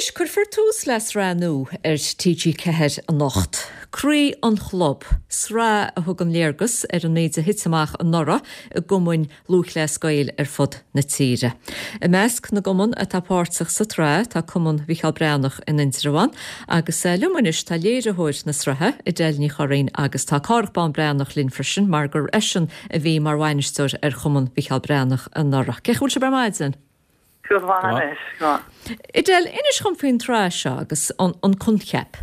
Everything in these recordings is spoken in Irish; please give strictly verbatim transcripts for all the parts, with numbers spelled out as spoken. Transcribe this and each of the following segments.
Anois, cuirfear tús le sraith nua ar T G Ceathair anocht. Croí an Chlub, sraith a thugann léargas ar an méid a thit amach anuraidh i gcumainn Lúthchleas Gael ar fud na tíre. I measc na gcumann atá páirteach sa tsraith tá Cumann Mhicheál Breathnach in Indreabhán, agus eh, liom anois tá léiritheoir na sraithe, Edel Ní Churraoin, agus tá Cárthach Bán Breathnach linn freisin, mar gur eisean a bhí mar bhainisteoir ar Chumann Mhicheál Breathnach anuraidh. Cén chaoi a bhfuil sibh ar maidin? Go maith. Edel, inis dom faoin tsraith seo agus an, an coincheap.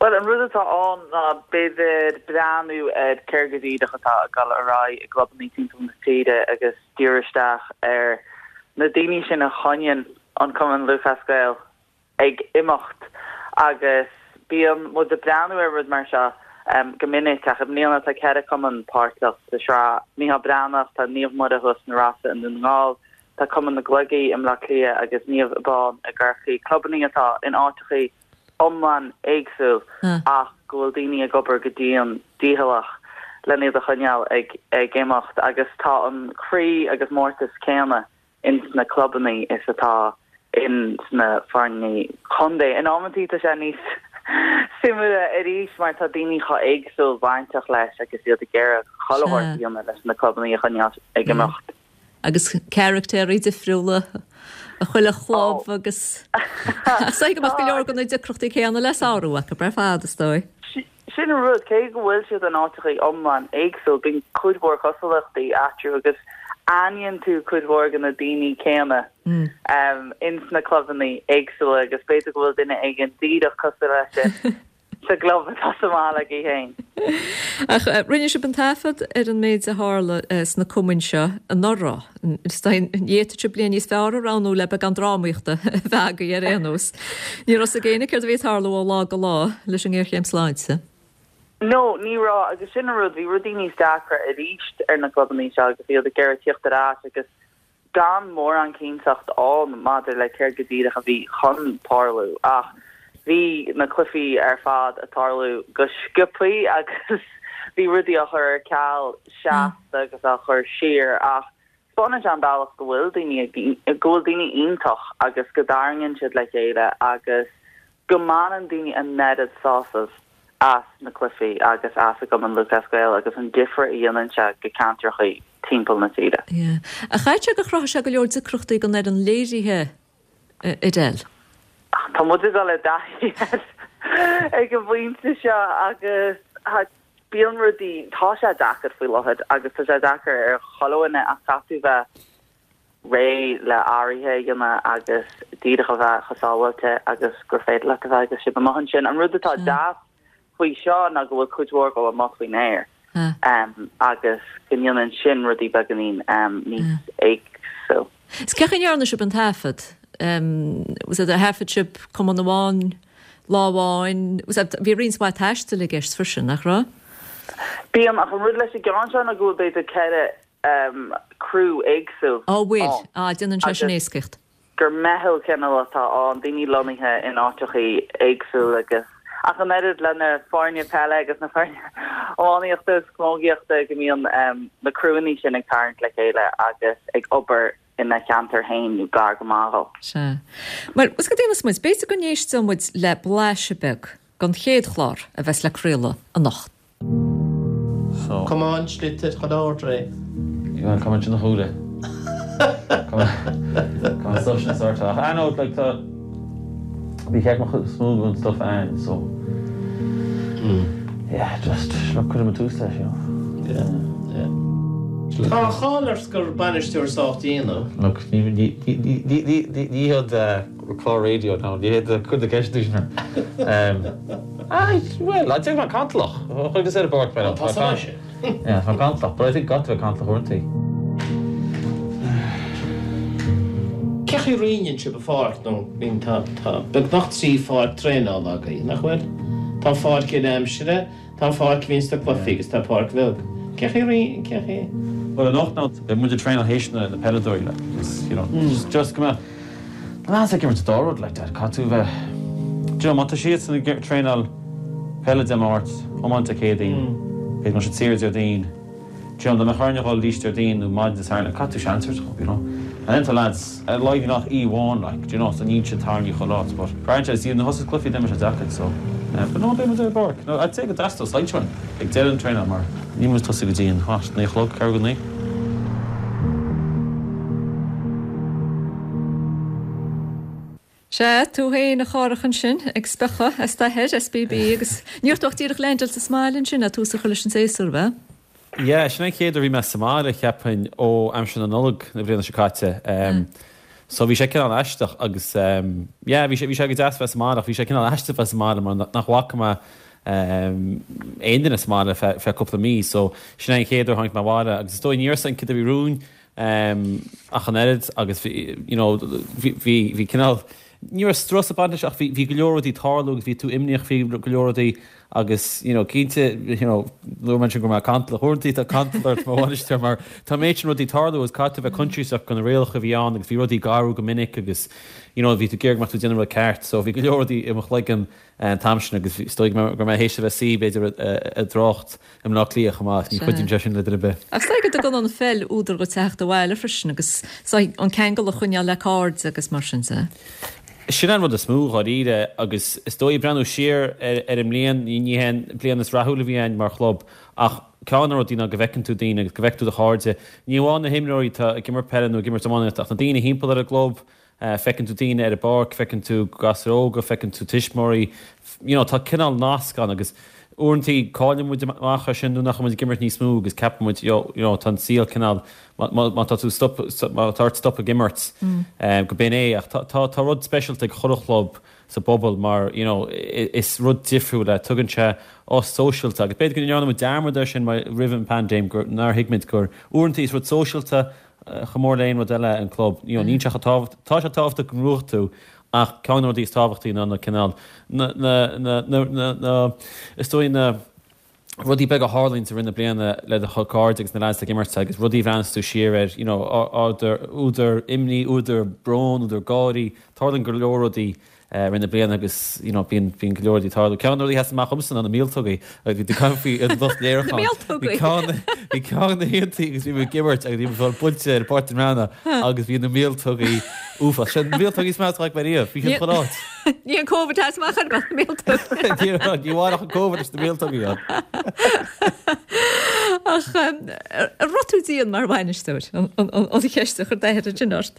Well, an rud atá ann ná b'fhéidir breathnú ar céard go díreach atá ag dul ar aghaidh i gclubanna timpeall na tíre agus díriú isteach ar na daoine sin a choinníonn an Cumann Lúthchleas Gael ag imeacht. Agus bíonn muid ag breathnú ar rud mar seo um, go minic, ach i mbliana tá ceithre cumann páirteach sa tsraith: Micheál Breathnach, tá Naomh Muire thuas na Rosa i nDún na nGall, tá Cumann na gCloigí i mBaile Átha Cliath agus Naomh Abán i gCorcaigh, clubanna atá in áiteacha iomlán éagsúil ach go bhfuil daoine ag obair go dian dícheallach lena iad a choinneáil ag ag imeacht, agus tá an croí agus mórtas céanna ins na clubanna is atá in sna foirne contae. In amantaí tá sé níos suimiúla arís mar tá daoine chomh éagsúil bainteach leis agus iad ag iarraidh chuile leis na clubanna a choinneáil ag imeacht. Agus carachtéirí difriúla a chuile chlub agus sa go go leor de na deacrachtaí céanna le sárú acu ar fad, is dóigh. Sin an rud, cé go bhfuil siad in áiteacha iomlán éagsúil, bíonn cuid mhór cosúlachtaí eatarthu agus aithníonn tú cuid mhór de na daoine céanna um, ins na clubanna éagsúla, agus b'fhéidir go bhfuil duine éigin díreach cosúil leis sin sa gclub atá sa mbaile aige féin. Ach eh, rinne sibh an taifead ar an méid a tharla eh, sna cumainn seo anuraidh. D'fhéadfadh sibh bliain níos fearr a roghnú le beagán drámaíochta a bheith ar aon nós. Ní raibh a fhios ag éinne céard a bhí ag tarlú ó lá go lá leis an ngéarchéim sláinte. No, ní raibh, agus sin an rud, bhí rudaí níos deacra arís ar na clubanna seo agus iad ag iarraidh tíocht ar ais agus gan mórán cinnteacht ann maidir le céard go díreach a bhí chun tarlú, ach bhí na cluichí ar fad ag tarlú go sciobtha agus bhí rudaí á chur ar ceal seasta agus á chur siar, ach spáineann sé an bealach go bhfuil daoine go bhfuil daoine iontach agus go dtarraingíonn siad le chéile agus go mbaineann daoine an oiread sásamh as na cluichí agus as a gCumann Lúthchleas Gael agus an difear a dhéanann sé go ceantracha timpeall na tíre. A chaite go chruthaigh sé go leor deacrachtaí don fhoireann léirithe, Edel. Tá muid ag dul i dtaithí ag an bpointe seo agus bíonn rudaí, tá sé deacair faoi láthair agus tá sé deacair ar chuile dhuine, ach caithfidh bheith réidh le hathruithe a dhéanamh agus díreach a bheith chomh sábháilte agus gur féidir leat a bheith agus sibh amuigh ansin. An rud atá deas faoi seo ná go bhfuil cuid mhór go amach faoin aer. Um, agus go ndéanann sin rudaí beagáinín um, níos éagsúla. Is cén chaoi a ndearna sibh an taifead? Um, was it a thaifead sibh cumann amháin lá amháin? Bhí roinnt mhaith taistil i gceist freisin, nach raibh? Bíonn, ach an rud leis an gceann seo ná go bhfuil b'fhéidir ceithre um, crew éagsúil. Á bhfuil, á déanann sé sin éascaíocht. Gur meitheal cineál atá ann, daoine lonnaithe in áiteacha éagsúla, agus ach an oiread le na foirne peile agus na foirne iománaíochta agus camógaíochta go mbíonn um, na criúnna sin ag tarraingt le chéile agus ag obair ina cheantar féin nó gar go maith. Se. Mar was go déanfaidh muid, b'fhéidir go n-éisteoidh muid le blaiseadh beag den chéad chlár a bheas le craoladh anocht. So Come on, sliotar chun ordre. You come in na chúle. Come stuff sin sort. I know, like, tá bhí ceck smooth and stuff and so mm. yeah, just look, cuir me tús leis you know. Yeah, yeah. Tá cháil ort gur bainisteoir sách dian. Look, ní ní hiad clár raidió ná ní hiad chun na ceisteanna sin. Well, I think mar cantalach chuig is ar bord. Tá sé. Yeah, tá cantalach, but I think got to cantalach uaireanta. Cén chaoi a roinneann sibh an pháirc nó bíonn tá tá beagnach trí pháirc traenála agaibh, nach bhfuil? Tá pháirc uile-aimsire, tá pháirc a bhíonn sna cluichí agus tá páirc bheag. Cén chaoi a roinn cén chaoi? Well, anocht ná beidh muid ag traenáil théis na na peileadóirí, like, just you know just just go mbeadh na lads ag imirt dá rud like that, caithfidh tú bheith do you know má tá siad san ag traenáil peile Dé Máirt, iomáint Dé Céadaoin, beidh muid saor Déardaoin, do you know dá mbeadh orainn a dhul arís Déardaoin nó maidin Dé Sathairn, like, caithfidh tú seans a thabhairt dóibh, you know. And then tá lads a laghdaíonn nach aoi amháin like, do you know, so níl siad tarraingthe chuile áit, but braitheann sé is iad na thosaigh cluichí d'imir sé deacair so eh, but no, beidh muid ar an bpáirc. No, I'd say go dteastódh said uainn ag deireadh an traenáil mar níl muid tosaigh go dtí an what, naoi a chlog, ceathrú go naoi. Sea, tú féin a Chárthach ansin ag spochadh as d'athair, SBB, agus ní raibh tú ach díreach leaindeáilte sa mbaile ansin a tús a chur leis an séasúr, ab ea? Yeah, sin an chéad uair a bhí mé sa mbaile, cheapfainn, ó aimsir na Nollag na bliana seo caite. Um, so bhí sé cineál aisteach agus um, yeah, bhí sé, bhí sé go deas bheith sa mbaile ach bhí sé cineál aisteach bheith sa mbaile mar nach bhfaca mé um, aon duine sa mbaile fe, fe cúpla mí, so sin é an chéad uair a tháinig mé abhaile agus is dóigh ní raibh a fhios againn cad a bhí romhainn um, ach an oiread agus bhí, you know, bhí, bhí, bhí cineál Ní raibh strus ag baint leis ach bhí bhí go leor rudaí ag tarlú agus bhí tú imníoch faoi go leor rudaí agus you know cinnte you know luaigh mé ansin go raibh mé cantalach uaireanta tá cantal ort mar bhainisteoir mar tá an méid sin rudaí ag tarlú agus caithfidh tú bheith coinsiasach de na rialacha a bhí ann agus bhí rudaí ag athrú go minic agus you know bhí tú ag iarraidh go mbeadh tú ag déanamh rud ceart so bhí go leor rudaí i mo chloigeann an t-am sin agus is dóigh go raibh mé théis a bheith suí b'fhéidir i dtrácht i mBleá Cliath chomh maith, ní chuidíonn sé sin le duine ar bith. Ach is dóigh go dtugann an pheil údar dhuit teacht abhaile freisin agus an ceangal a choinneáil le cairde agus mar sin de. Sin an rud is mó dháiríre agus is dóigh breathnú siar ar an mbliain, ní hé an bliain is rathúla a bhí againn mar chlub ach ceann de na rudaí ná go bhfeiceann tú daoine agus go bhfeiceann tú do chairde, ní amháin na himreoirí atá ag imirt peile nó ag imirt iománaíochta ach na daoine thimpeall ar an gclub, Feiceann tú daoine ar an bpáirc, feiceann tú gasúir óga, feiceann tú tuismitheoirí, you know, tá cineál nasc ann agus uaireantaí cailleann muid amach ar sin nuair nach bhfuil muid ag imirt níos mó agus ceapann muid, you know, tá an saol cineál, má tá tú stop, má tá ort stop ag imirt, go b'in é ach tá, tá, tá rud speisialta ag chuile chlub sa bpobal mar, you know, is rud difriúil é, tugann sé ós sóisialta agus b'fhéidir go ndearna muid dearmad air sin roimh an bpaindéim gur nár thuig muid gur uaireantaí is rud sóisialta chomh mór le aon rud eile an club. You know, níl sé chomh tábhacht, tá sé tábhachtach go ngnóthóidh tú ach ceann de na rudaí is tábhachtaí ná na cineál, na, na, na, na, na, na, is dóigh na rudaí beaga a tharlaíonn i rith na bliana le do chuid cairde agus na lads ag imirt agus rudaí a bhreathnaíos tú siar air, you know, údar, údar imní, údar bróin, údar gáirí, tarlaíonn go leor rudaí i rith na bliana agus you know bíonn bíonn go leor rudaí ag tarlú. Ceann de na rudaí a sheas amach dhomsa ná na míoltógaí agus bhí tú ag caint faoi an lucht léiriúcháin. Bhí ceann bhí ceann de na hoícheantaí agus bhí muid ag imirt agus bhí muid ag fáil buailte ar Pháirc na mBreathnach agus bhí na míoltógaí uafásach. Sin na míoltógaí is measa a chonaic mé riamh. Bhí siad chuile áit. Ní an Covid a sheas amach ar na míoltógaí. Ní raibh ní bhain ach an Covid leis na míoltógaí ann. Ach an raibh tú dian mar bhainisteoir? An an an cheist a chuir d'athair ansin ort.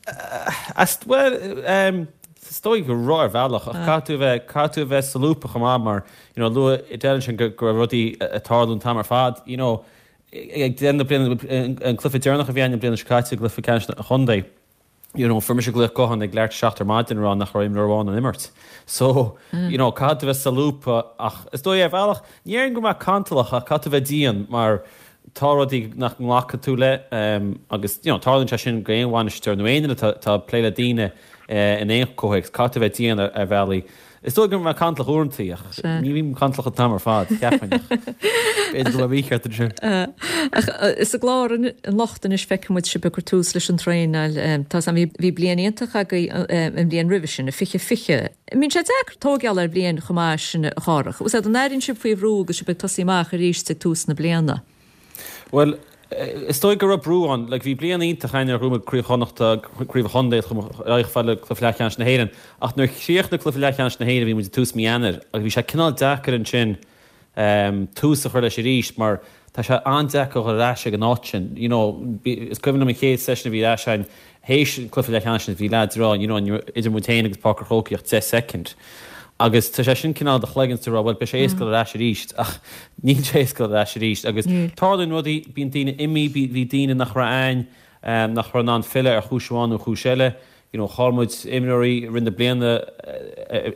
As bhuel um, Is dóigh go raibh ar bhealach ach caithfidh tú a bheith, caithfidh tú a bheith solúbtha chomh maith mar, you know, luaigh Edel ansin go, go raibh rudaí ag tarlú an t-am ar fad, you know, ag deireadh na bliana, an cluiche deireanach a bhí againn an bliain seo caite, i gcluiche ceannais an chontae, you know, fuair mise glaoch gutháin ag leathuair tar éis a seacht ar maidin ag rá nach raibh imreoir amháin in ann imirt. So, you know, caithfidh tú a bheith solúbtha ach is dóigh ar bhealach, ní déarfainn go raibh mé cantalach ach caithfidh tú a bheith dian mar tá rudaí nach nglacfaidh tú le agus you know tarlaíonn sé sin go aon bhainisteoir nó aon duine atá ag plé le daoine in aon chomhthéacs, caithfidh tú a bheith dian ar bhealaí. Is dóigh go raibh mé cantalach uaireanta ach ní bhím cantalach an t-am ar fad, cheapfainn ach b'fhéidir go raibh mé mícheart ansin. Ach sa gclár anocht anois feicfidh muid sibh ag cur tús leis an traenáil. Tá a fhios agam bhí bliain iontach agaibh an bhliain roimhe sin, fiche fiche. Bíonn sé deacair tóigeáil ar bhliain chomh maith sin a Chárthach. Bhfuil a fhios agat an airíonn sibh faoi bhrú agus sibh ag tosaí amach arís ag tús na bliana? Bhuel, is dóigh go raibh brú ann. Like, bhí bliain iontach againn nuair a ghnóthaigh muid Craobh Chonnachta, Craobh an Chontae, chuaigh muid chomh fada le Cluiche Leathcheannais na hÉireann. Ach nuair a chríochnaigh Cluiche Leathcheannais na hÉireann bhí muid ag tús mí Eanáir agus bhí sé cineál deacair ansin tús a chur leis arís mar tá sé an-deacair a dhul ar ais ag an áit sin. You know, is cuimhin liom an chéad session a bhí ar ais againn théis an cluiche leathcheannais sin bhí leaids ag rá, you know, ní raibh idir muid féin agus Páirc an Chrócaigh ach deich soicind. Agus tá sé sin cineál i do chloigeann is tú ag rá, bhuel, beidh sé éasca dul ar ais arís, ach níl sé éasca dul ar ais arís. Agus tarlaíonn rudaí, bíonn daoine imithe, bhí daoine nach raibh a'ainn, nach raibh in ann filleadh ar chúis amháin nó chúis eile. You know, chaill muid imreoirí i rith na bliana,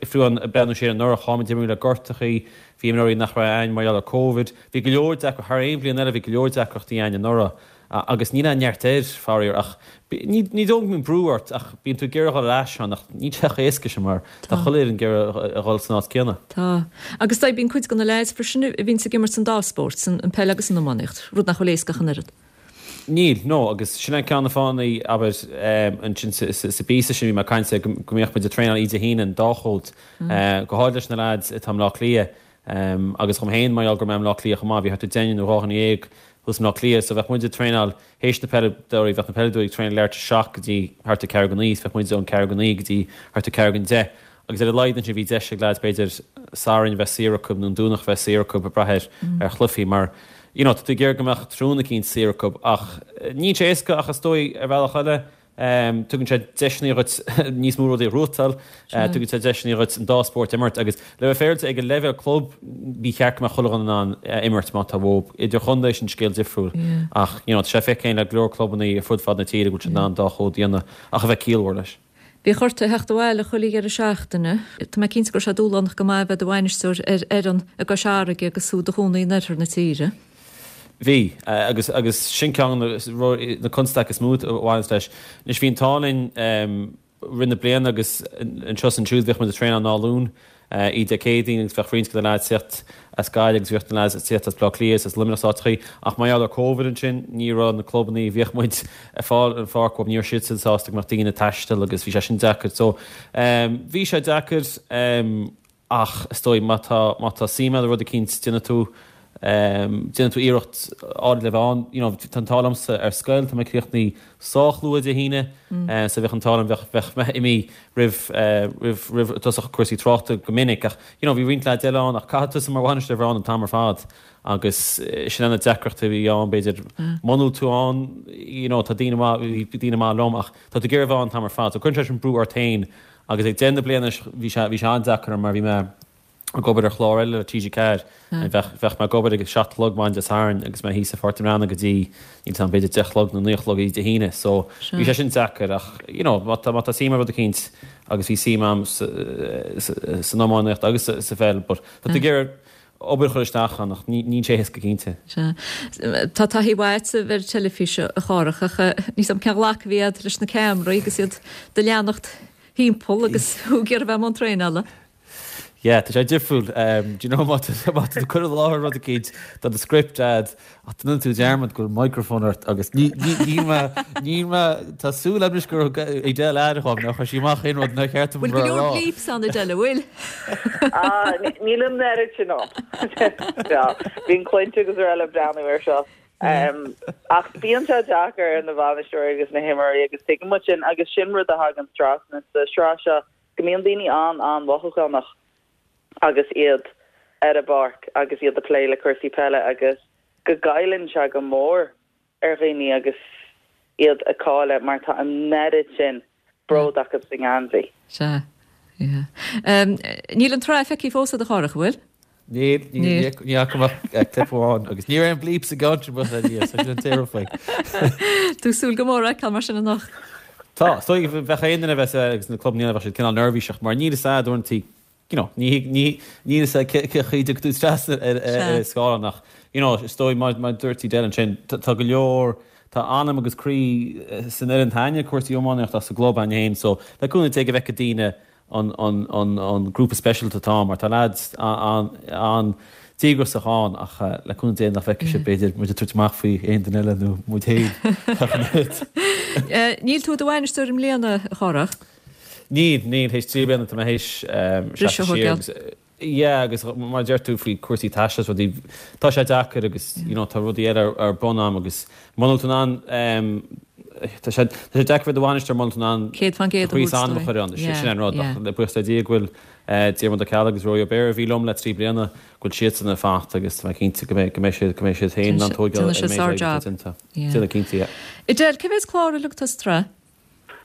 fiú ag breathnú siar anuraidh, chaill muid imreoirí le gortachaí, bhí imreoirí nach raibh a'ainn mar gheall ar Covid. Bhí go leor deacracht, thar aon bhliain eile, bhí go leor deacrachtaí a'ainn anuraidh. Agus níl aon neart air, faraor, ach ní dóigh go mbíonn brú ort ach bíonn tú ag iarraidh a dhul ar ais ann ach níl sé chomh héasca sin mar tá chuile fhoireann ag iarraidh a dhul san áit céanna. Tá. Agus tá, bíonn cuid de na leaids freisin a bhíonns ag imirt san dá spórt, an peil agus an iománaíocht, rud nach bhfuil éasca ach an oiread. Níl, no, agus sin é ceann de na fáthanna, abair, ansin sa bpíosa sin bhí mé ag caint go mbeadh muid ag traenáil oíche Dé hAoine an dá chód, go háirid leis na leaids atá i mBleá Cliath. Agus dhom féin, mar gheall go raibh mé i mBleá Cliath chomh maith, bhí thart ar deichniúr nó dhá dhuine dhéag thuas i mBleá Cliath, so bheadh muid ag traenáil théis na peileadóirí, bheadh na peileadóirí ag traenáil leathuair tar éis a seacht go dtí thart ar ceathrú go naoi, is bheadh muid ón ceathrú go naoi go dtí thart ar ceathrú go deich. Agus ar a laghad ansin bhí deis ag leaids b'fhéidir Satharn a bheith saor acu nó an Domhnach a bheith saor acu ag brath ar ar chluichí mar you know tá tú ag iarraidh go mbeadh tráthnóna eicínt saor acu ach níl sé éasca ach is dóigh ar bhealach eile tugann sé deiseanna dhuit níos mó rudaí a ghnóthachtáil, tugann sé deiseanna dhuit an dá spórt a imirt agus le bheith féaráilte ag an leibhéal club ní cheart go mbeadh chuile dhuine in ann imirt má tá uathub. Idirchontae sin scéal difriúil ach you know tá sé feicthe againn le go leor clubanna ar fud fad na tíre go bhfuil siad in ann an dá chód a dhéanamh ach a bheith ciallmhar leis. Bhíodh ort a theacht abhaile chuile dheireadh seachtaine. Tá mé cinnte go raibh sé dúshlánach go maith a bheith i do bhainisteoir ar fhoireann i gCois Fharraige agus tú i do chónaí in oirthear na tíre. Bhí, agus agus sin ceann de na constaicí is mó a bhaineanns leis. Anois bhí an t-ádh linn rith na bliana agus anseo is ansiúd bhíodh muid ag traenáil an dá Luan. Oíche Dé Céadaoin agus bheadh roinnt de na leaids ag tíocht as Gaillimh agus bhíodh na leaids ag tíocht as Baile Átha Cliath is as Luimneach is áiteachaí ach mar gheall ar Covid ansin ní raibh na clubannaí a bhíodh muid ag fáil an pháirc uathu, ní raibh siadsan sásta go mbeadh daoine ag taisteal agus bhí sé sin deacair. So bhí sé deacair ach is dóigh má tá má tá suim agat i rud eicínt déanfaidh tú déanfaidh tú iarracht áirid le bheith ann. You know tá an t-ádh liomsa ar scoil, tá mé críochnaithe sách luath Dé hAoine so bheadh an t-ádh liom, bheadh bheadh mé imithe roimh roimh roimh tosach cúrsaí tráchta go minic ach you know bhí roinnt leaids eile ann ach caithfidh tusa mar bhainisteoir bheith ann an t-am ar fad agus sin é na deacrachtaí a bhí ann b'fhéidir muna bhfuil tú ann you know tá daoine maith bhí daoine maith liom ach tá tú ag iarraidh bheith ann an t-am ar fad so cuireann sé sin brú ort féin agus ag deireadh na bliana bhí sé bhí sé an-deacair orm mar bhí mé ag obair ar chlár eile le T G ceathair. Bheadh, bheadh mé ag obair ag a seacht a chlog maidin Dé Sathairn agus mé thíos i Pháirc na mBreathnach go dtí, níl 'fhios a'm, b'fhéidir deich a chlog nó naoi a chlog oíche Dé hAoine. So, bhí sé sin deacair ach, you know, má tá, má tá suim i rud eicínt agus bhí suim a'm sa, sa, san iománaíocht agus sa, sa pheil but tá tú ag iarraidh obair a chur isteach ann ach ní, níl sé éasca cinnte. Sea. Tá taithí mhaith agat ar an teilifís a Chárthach ach níl 'fhios a'm cén ghlacadh a bhí a'd leis na ceamaraí agus iad do leanacht thimpeall agus thú ag iarraidh bheith i mbun traenála. Yeah, tá sé difriúil. Do you know, má tá má tá tú ag cur i láthair rud eicínt, tá do script a'd, ach déanann tú dearmad go bhfuil microphone ort agus ní, ní, níl mé, níl mé, tá súil agam anois gur thug Edel aire dhom, nár chuir sí amach aon rud nár cheart dom Bhfuil go a leor rá. bleeps ann Edel, an bhfuil? Ah, níl an oiread sin ann. Bíonn cluinte agus araile ag breathnú air seo. Ach bíonn sé deacair ar na bainisteoirí agus na himreoirí agus tuigeann muid sin agus sin rud a thagann trasna sa sraith seo go mbíonn daoine an-an-mhothúchánach agus iad ar an bpáirc agus iad ag plé le cúrsaí peile agus go gcailleann sé go mór ar dhaoine agus iad ag cailleadh mar tá an oiread sin bród acu sa ngeansaí. Sea, yeah. Níl an tsraith feicthe fós agat a Chárthach, an bhfuil? Níl, níl, ní fhaca mé ach clip amháin agus ní raibh aon bleeps i gceann sin buíochas le Dia, so sin an t-aon rud faoi. Tú ag súil go mór a fheiceáil mar sin anocht. Tá, is dóigh bheadh aon duine a bheas ag na clubanna eile bheadh siad cineál neirbhíseach mar níl fhios a'd uaireanta, you know, ní ní níl fhios a'd cé cé chaoi dtiocfaidh tú trasna ar ar ar scáileán ach, you know, is dóigh mar mar dúirt Edel ansin, tá tá go leor, tá anam agus croí san fhoireann againne, cúrsaí iománaíochta sa gclub againn féin so le cúnamh Dé go bhfeicfidh daoine an an an an grúpa speisialta atá ann mar tá leaids an díograiseach ann ach le cúnamh Dé nach bhfeicfidh siad b'fhéidir muid ag tabhairt amach faoi aon duine eile nó muid féin ach an oiread. Níl tú i do bhainisteoir i mbliana, a Chárthach? Níl, níl, théis trí bliana tá mé théis Briseadh seasamh a siar thógáil. agus yeah agus mar a deir tú faoi cúrsaí taistil is rudaí, tá sé deacair agus you know tá rudaí eile ar bun a'm agus muna bhfuil tú in ann tá sé tá sé deacair bheith i do bhainisteoir muna bhfuil tú in ann Céad faoin gcéad do chroí is anam a chur ann, sin an rud ach le buíochas le Dia go bhfuil Diarmuid Ó Ceallaigh agus Rory Ó Béarra a bhí liom le trí bliana go bhfuil siadsan ag fanacht agus tá mé cinnte go mbeidh go mbeidh siad go mbeidh siad féin in ann tógáil Déanfaidh ar an siad méid sár oibre atá job. déanta. Yeah. Déanfaidh cinnte, yeah. Edel, cé mhéad clár uilig atá sa tsraith?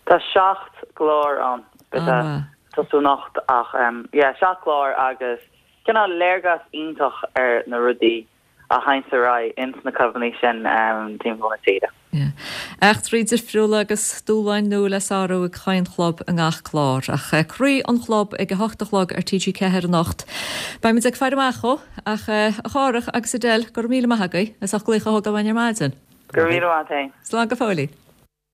Tá seacht gclár ann. Beidh sé An-mhaith. tosú anocht ach yeah seacht gclár agus cineál léargas iontach ar na rudaí a théanns ar aghaidh ins na clubanna sin timpeall na tíre. Yeah. Eachtraí difriúla agus dúshláin nua le sárú ag chaon chlub i ngach clár. Ach Croí an Chlub ag a hocht a chlog ar T G ceathair anocht. Beimid ag faire amach dhó, ach a Chárthach agus Edel, go raibh míle maith agaibh as ucht glaoch a thógáil uainn ar maidin. Go raibh míle maith agat. Slán go fóillí.